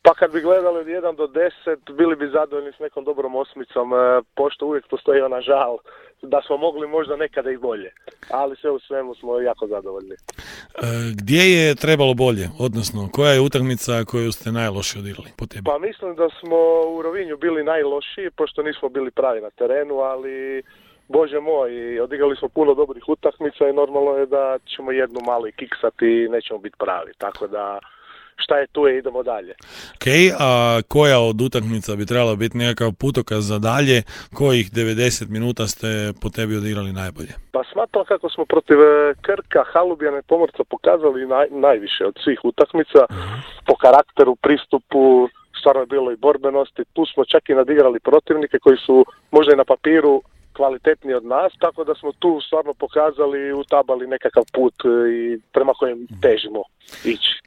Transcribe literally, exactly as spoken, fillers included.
Pa kad bi gledali od jedan do deset, bili bi zadovoljni s nekom dobrom osmicom, pošto uvijek postoji ona žal da smo mogli možda nekada i bolje, ali sve u svemu smo jako zadovoljni. E, gdje je trebalo bolje, odnosno koja je utakmica koju ste najlošije odigrali po tebi? Pa mislim da smo u Rovinju bili najlošiji, pošto nismo bili pravi na terenu, ali Bože moj, odigrali smo puno dobrih utakmica i normalno je da ćemo jednu malo i kiksati i nećemo biti pravi, tako da šta je tu je, idemo dalje. Ok, a koja od utakmica bi trebala biti nekakav putokaz za dalje, kojih devedeset minuta ste po tebi odigrali najbolje? Pa smatram kako smo protiv Krka, Halubjana i Pomorca pokazali naj, najviše od svih utakmica, uh-huh. po karakteru, pristupu, stvarno je bilo i borbenosti, tu smo čak i nadigrali protivnike koji su možda i na papiru kvalitetniji od nas, tako da smo tu stvarno pokazali i utabali nekakav put i prema kojem težimo ići.